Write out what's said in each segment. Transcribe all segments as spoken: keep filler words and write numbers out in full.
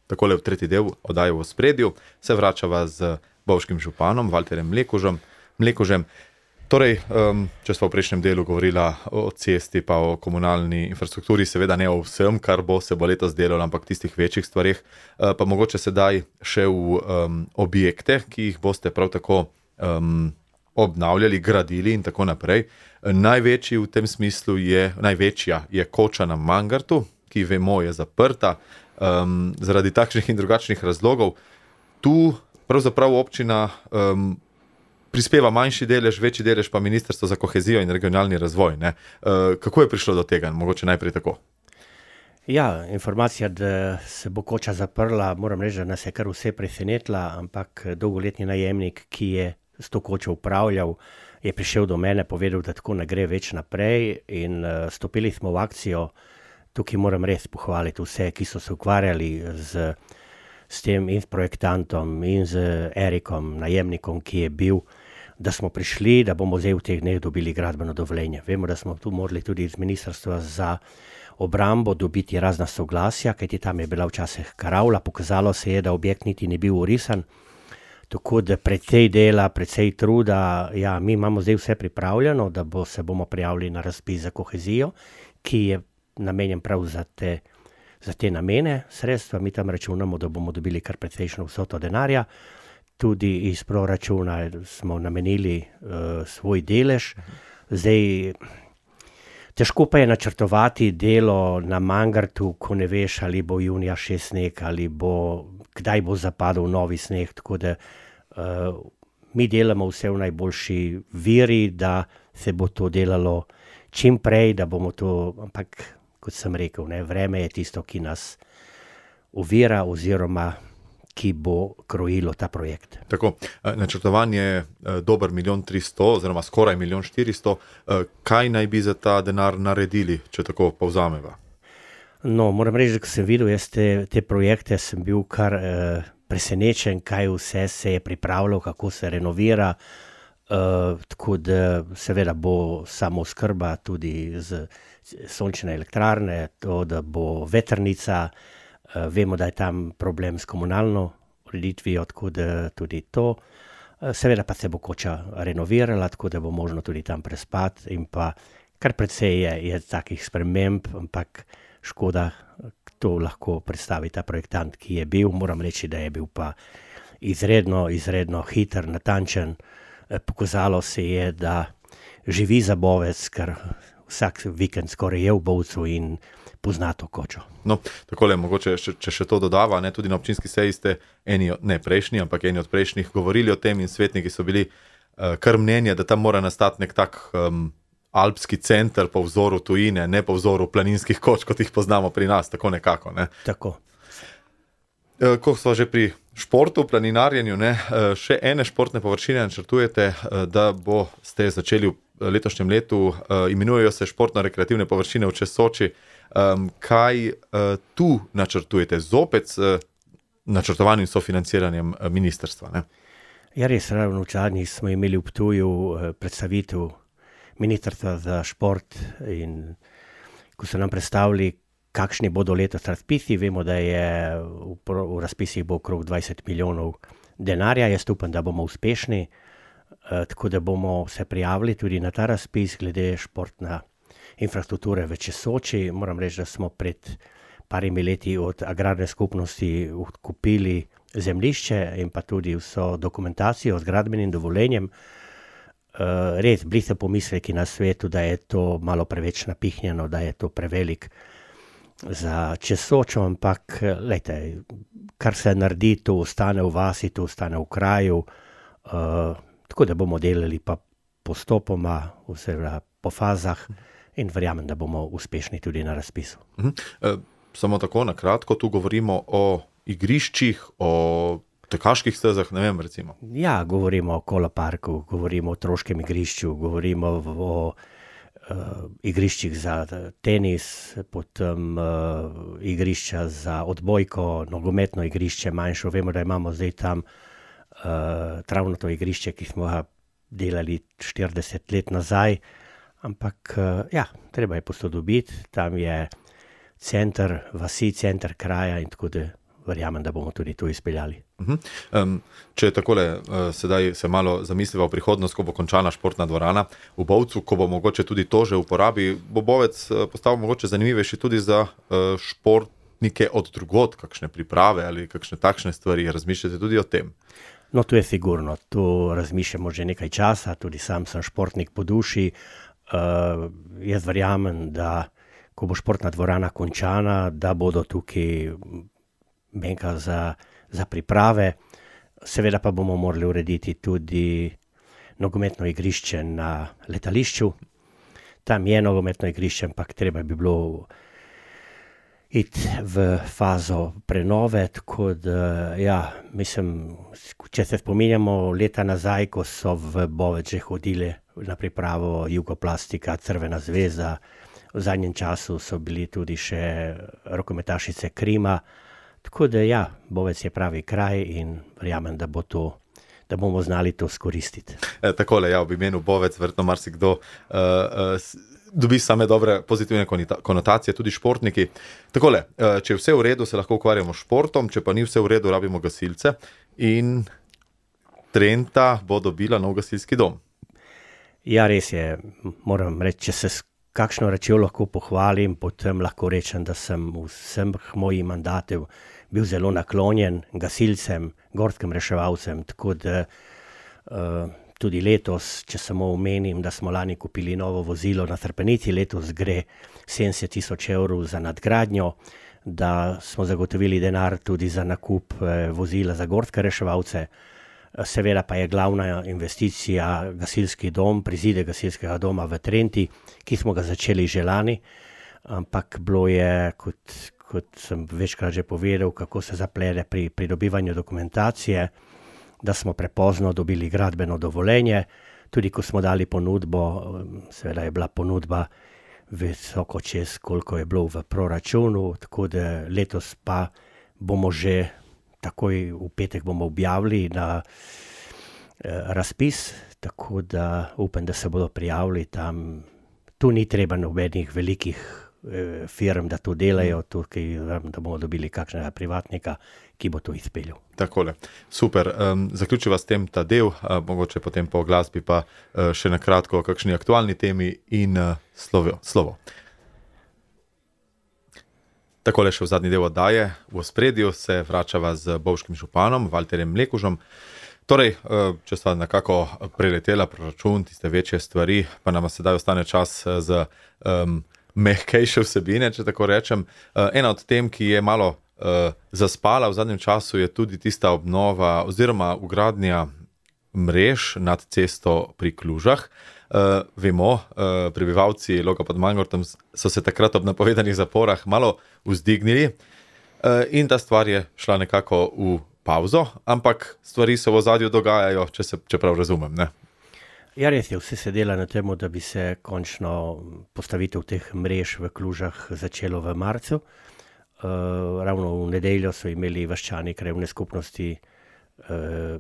takole v tretji del oddaje v ospredju, se vračava z bovškim županom Valterjem Mlekužem. Mlekužem. Torej, um, če smo v prejšnjem delu govorila o cesti pa o komunalni infrastrukturi, seveda ne o vsem, kar bo se bo letos delalo, ampak tistih večjih stvarih, uh, pa mogoče sedaj še v um, objekte, ki jih boste prav tako um, obnavljali, gradili in tako naprej. Največji v tem smislu je, največja je koča na Mangartu, ki vemo je zaprta, um, zaradi takšnih in drugačnih razlogov. Tu pravzaprav občina um, prispeva manjši delež, večji delež pa Ministrstvo za kohezijo in regionalni razvoj. Ne? Uh, kako je prišlo do tega? Mogoče najprej tako. Ja, informacija, da se bo koča zaprla, moram reči, da nas je kar vse presenetila, ampak dolgoletni najemnik, ki je s to kočo upravljal, je prišel do mene, povedal, da tako ne gre več naprej in uh, stopili smo v akcijo. Tukaj moram res pohvaliti vse, ki so se ukvarjali z, s tem in s projektantom in z Erikom, najemnikom, ki je bil, da smo prišli, da bomo zdaj v teh dneh dobili gradbeno dovoljenje. Vemo, da smo tu morali tudi iz Ministrstva za obrambo dobiti razna soglasja, kajti tam je bila včasih karavla, pokazalo se je, da objekt niti ni bil urisan, tako da precej dela, precej truda, ja, mi imamo zdaj vse pripravljeno, da bo, se bomo prijavili na razpis za kohezijo, ki je namenjen prav za te, za te namene sredstva. Mi tam računamo, da bomo dobili kar precejšno vsoto denarja. Tudi iz proračuna smo namenili uh, svoj delež. Zdaj, težko pa je načrtovati delo na Mangartu, ko ne veš, ali bo junija še sneg, ali bo, kdaj bo zapadel novi sneg. Tako da uh, mi delamo vse v najboljši veri, da se bo to delalo čim prej, da bomo to, ampak kot sem rekel, ne, vreme je tisto, ki nas ovira oziroma ki bo krojilo ta projekt. Tako, načrtovan je dober milijon tristo oziroma skoraj milijon štiristo. Kaj naj bi za ta denar naredili, če tako povzameva? No, moram reči, da ko sem videl jaz te, te projekte, sem bil kar eh, presenečen, kaj vse se je pripravilo, kako se renovira, eh, tako da seveda bo samooskrba tudi z sončne elektrarne, to, da bo vetrnica. Uh, vemo, da je tam problem s komunalno ureditvijo, tako da tudi to. Uh, seveda pa se bo koča renovirala, tako da bo možno tudi tam prespati in pa kar precej je, je takih sprememb, ampak škoda, to lahko predstavi ta projektant, ki je bil. Moram reči, da je bil pa izredno, izredno hiter, natančen. Uh, pokazalo se je, da živi za Bovec, ker vsak vikend skoraj je v Bovcu in pozna to kočo. No, takole, mogoče, če, če še to dodava, ne, tudi na občinski seji ste eni, ne prejšnji, ampak eni od prejšnjih govorili o tem in svetniki so bili uh, kar mnenja, da tam mora nastati nek tak um, alpski center po vzoru tujine, ne po vzoru planinskih koč, kot jih poznamo pri nas, tako nekako. Ne. Tako. Uh, ko smo že pri športu, planinarjenju, ne, uh, še ene športne površine načrtujete, uh, da bo ste začeli v letošnjem letu, uh, imenujejo se športno-rekreativne površine v Česoči. Um, kaj uh, tu načrtujete? Zopet s uh, načrtovanjem sofinanciranjem uh, ministrstva, ne? Ja, res, ravno včasih smo imeli v Ptuju uh, predstavitev ministrstva za šport in ko so nam predstavili, kakšni bodo letos razpisi, vemo, da je v, v razpisih bo okrog dvajset milijonov denarja. Jaz upam, da bomo uspešni, uh, tako da bomo se prijavili tudi na ta razpis glede športna infrastrukture v Česoči. Moram reči, da smo pred parimi leti od agrarne skupnosti kupili zemljišče in pa tudi vso dokumentacijo z gradbenim dovoljenjem. Uh, res, bili so pomisleki na svetu, da je to malo preveč napihnjeno, da je to prevelik za Česočo, ampak lejte, kar se naredi, to ostane v vasi, to ostane v kraju, uh, tako da bomo delali pa postopoma, oziroma po fazah, in verjamem, da bomo uspešni tudi na razpisu. Uh-huh. E, samo tako na kratko, tu govorimo o igriščih, o tekaških stezah, ne vem, recimo. Ja, govorimo o koloparku, govorimo o otroškem igrišču, govorimo o uh, igriščih za tenis, potem uh, igrišča za odbojko, nogometno igrišče manjšo. Vemo, da imamo zdaj tam uh, travnato igrišče, ki smo ga delali štirideset let nazaj. Ampak, ja, treba je posodobiti, tam je center vasi, center kraja in tako da verjamem, da bomo tudi to izpeljali. Uh-huh. Um, če takole uh, sedaj se malo zamisliva v prihodnost, ko bo končana športna dvorana v Bovcu, ko bo mogoče tudi to že v uporabi, bo Bovec uh, postal mogoče zanimivejši tudi za uh, športnike od drugod, kakšne priprave ali kakšne takšne stvari, razmišljate tudi o tem? No, to je sigurno, to razmišljamo že nekaj časa, tudi sam sem športnik po duši. Uh, jaz verjamem, da ko bo športna dvorana končana, da bodo tukaj benka za, za priprave. Seveda pa bomo morali urediti tudi nogometno igrišče na letališču. Tam je nogometno igrišče, ampak treba bi bilo iti v fazo prenove, tako da, ja, mislim, če se spominjamo leta nazaj, ko so v Bovec že hodili na pripravo Jugoplastika, Crvena zveza, v zadnjem času so bili tudi še rokometašice Krima, tako da, ja, Bovec je pravi kraj in verjamem, da bo to, da bomo znali to skoristiti. E, takole, ja, v imenu Bovec, verjetno marsikdo uh, uh, dobi same dobre pozitivne konotacije, tudi športniki. Takole, če je vse v redu, se lahko ukvarjamo s športom, če pa ni vse v redu, rabimo gasilce in Trenta bo dobila nov gasilski dom. Ja, res je, moram reči, če se s kakšno rečjo lahko pohvalim, potem lahko rečem, da sem vsem mojih mandatov bil zelo naklonjen gasilcem, gorskim reševalcem, tako da uh, tudi letos, če samo omenim, da smo lani kupili novo vozilo na Trpenici, letos gre sedemdeset tisoč evrov za nadgradnjo, da smo zagotovili denar tudi za nakup eh, vozila za gorske reševalce. Seveda pa je glavna investicija gasilski dom, prizide gasilskega doma v Trenti, ki smo ga začeli že lani, ampak bilo je, kot, kot sem večkrat že povedal, kako se zaplede pri pridobivanju dokumentacije, da smo prepozno dobili gradbeno dovoljenje, tudi ko smo dali ponudbo, seveda je bila ponudba visoko čez, koliko je bilo v proračunu, tako da letos pa bomo že takoj v petek bomo objavili na eh, razpis, tako da upam, da se bodo prijavili tam. Tu ni treba nobenih velikih eh, firm, da to delajo, tukaj, da bomo dobili kakšnega privatnika, ki bo to izpeljal. Takole, super. Um, zaključiva s tem ta del, uh, mogoče potem po glasbi pa uh, še na kratko o kakšni aktualni temi in uh, slovo. slovo. Takole še v zadnji del oddaje. V ospredju se vračava z bovškim županom, Valterjem Mlekužem. Torej, uh, če sta nekako preletela proračun, tiste večje stvari, pa nam sedaj ostane čas za um, mehkejše vsebine, če tako rečem. Uh, ena od tem, ki je malo Uh, zaspala v zadnjem času, je tudi tista obnova oziroma ugradnja mrež nad cesto pri Klužah. Uh, vemo, uh, prebivalci Loga pod Mangartom so se takrat ob napovedanih zaporah malo vzdignili uh, in ta stvar je šla nekako v pauzo, ampak stvari se v ozadju dogajajo, če se če prav razumem, ne? Ja, res je, vse se dela na tem, da bi se končno postavitev teh mrež v Klužah začelo v marcu. Uh, ravno v nedeljo so imeli vaščani krajevne skupnosti uh,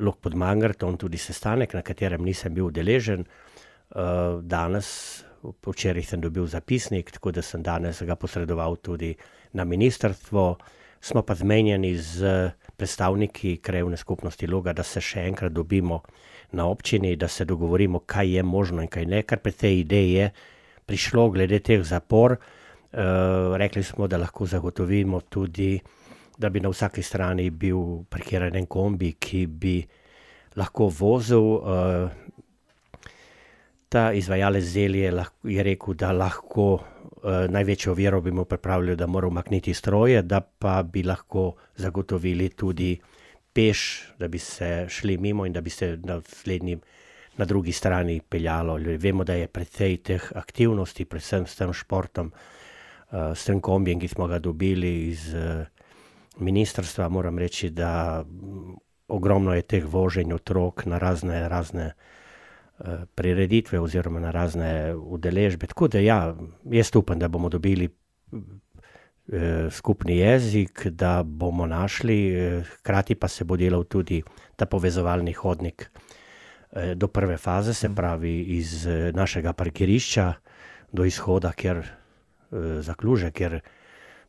Log pod Mangartom tudi sestanek, na katerem nisem bil udeležen. Uh, danes, včeraj sem dobil zapisnik, tako da sem danes ga posredoval tudi na ministrstvo. Smo pa zmenjeni z predstavniki krajevne skupnosti Loga, da se še enkrat dobimo na občini, da se dogovorimo, kaj je možno in kaj ne, kar pri tej ideji je prišlo glede teh zapor. Uh, rekli smo, da lahko zagotovimo tudi, da bi na vsaki strani bil parkiran en kombi, ki bi lahko vozil. Uh, ta izvajalec Zelje je rekel, da lahko uh, največjo oviro bi mu pripravljali, da mora umakniti stroje, da pa bi lahko zagotovili tudi peš, da bi se šli mimo in da bi se na slednji, na drugi strani peljalo. Vemo, da je precej teh aktivnosti, predvsem s tem športom, Uh, s tem kombijem, ki smo ga dobili iz uh, ministrstva, moram reči, da um, ogromno je teh voženj otrok na razne, razne uh, prireditve oziroma na razne udeležbe. Tako da ja, jaz upam, da bomo dobili uh, skupni jezik, da bomo našli, uh, hkrati pa se bo delal tudi ta povezovalni hodnik uh, do prve faze, se pravi iz uh, našega parkirišča do izhoda, kjer za Kluže, ker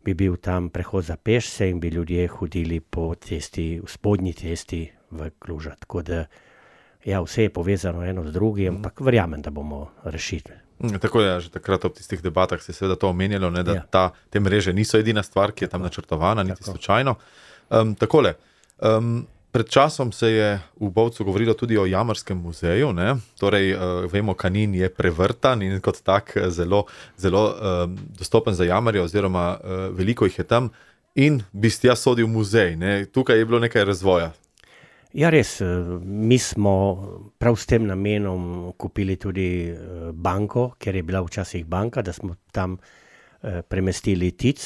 bi bil tam prehod za pešce in bi ljudje hodili po cesti, v spodnji cesti v Kluža. Tako da, ja, vse je povezano eno z drugim, ampak verjamem, da bomo rešili. Tako je, že takrat ob tistih debatah se je seveda to omenjalo, ne, da Ja. ta, te mreže niso edina stvar, ki je tam načrtovana, niti slučajno. Um, takole, um, pred časom se je v Bovcu govorilo tudi o Jamarskem muzeju, ne? Torej, uh, vemo, Kanin je prevrtan in kot tak zelo, zelo um, dostopen za jamarje, oziroma uh, veliko jih je tam in bi tja sodil muzej, ne? Tukaj je bilo nekaj razvoja. Ja, res, mi smo prav s tem namenom kupili tudi banko, ker je bila včasih banka, da smo tam premestili Tic,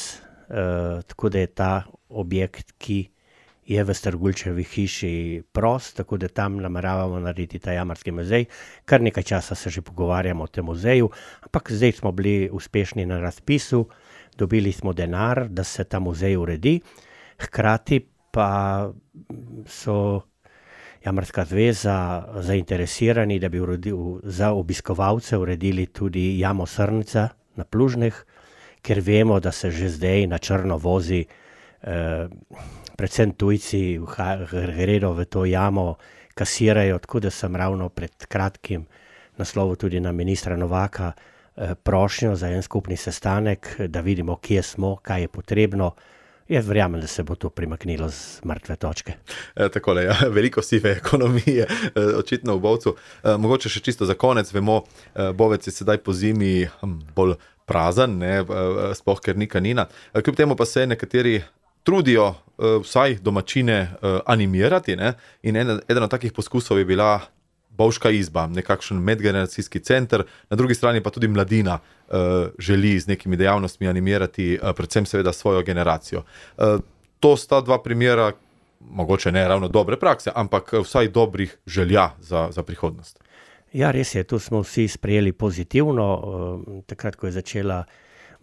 tako da je ta objekt, ki je v Strgulčevi hiši prost, tako da tam nameravamo narediti ta Jamarski muzej. Kar nekaj časa se že pogovarjamo o tem muzeju, ampak zdaj smo bili uspešni na razpisu, dobili smo denar, da se ta muzej uredi, hkrati pa so Jamarska zveza zainteresirani, da bi uredil, za obiskovalce uredili tudi jamo Srnica na Plužneh, ker vemo, da se že zdaj na črno vozi, eh, predvsem tujci gredo v to jamo, kasirajo, tako da sem ravno pred kratkim naslovil tudi na ministra Novaka eh, prošnjo za en skupni sestanek, da vidimo, kje smo, kaj je potrebno. Jaz verjamem, da se bo to primaknilo z mrtve točke. E, takole, ja, veliko sive ekonomije, e, očitno v Bovcu. E, mogoče še čisto za konec, vemo, e, Bovec je sedaj po zimi hm, bolj prazen, ne, e, sploh ker ni Kanina. E, kljub temu pa se nekateri trudijo e, vsaj domačine e, animirati, ne, in en, eden od takih poskusov je bila Bovška izba, nekakšen medgeneracijski center, na drugi strani pa tudi mladina uh, želi z nekimi dejavnostmi animirati, uh, predvsem seveda svojo generacijo. Uh, to sta dva primera, mogoče ne ravno dobre prakse, ampak vsaj dobrih želja za, za prihodnost. Ja, res je, tu smo vsi sprejeli pozitivno. Uh, takrat, ko je začela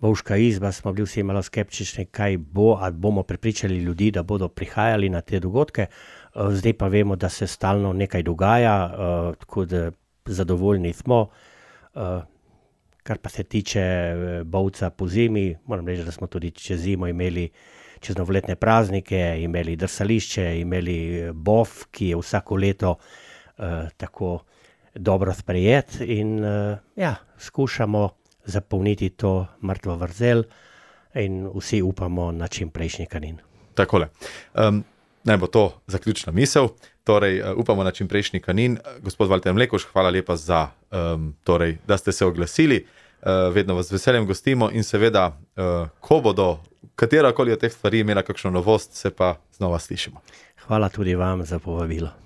Bovška izba, smo bili vsi malo skeptični, kaj bo, ali bomo prepričali ljudi, da bodo prihajali na te dogodke. Zdaj pa vemo, da se stalno nekaj dogaja, uh, tako da zadovoljni smo. Uh, kar pa se tiče Bovca po zimi, moram reči, da smo tudi čez zimo imeli, čez novoletne praznike, imeli drsališče, imeli bov, ki je vsako leto uh, tako dobro sprejet in uh, ja, skušamo zapolniti to mrtvo vrzel in vsi upamo na čim prejšnji Kanin. Takole. Um, Naj bo to zaključna misel, torej uh, upamo na čim prejšnji Kanin. Gospod Valter Mlekuž, hvala lepa za, um, torej, da ste se oglasili, uh, vedno vas z veseljem gostimo in seveda, uh, ko bodo katerakoli od teh stvari imela kakšno novost, se pa znova slišimo. Hvala tudi vam za povabilo.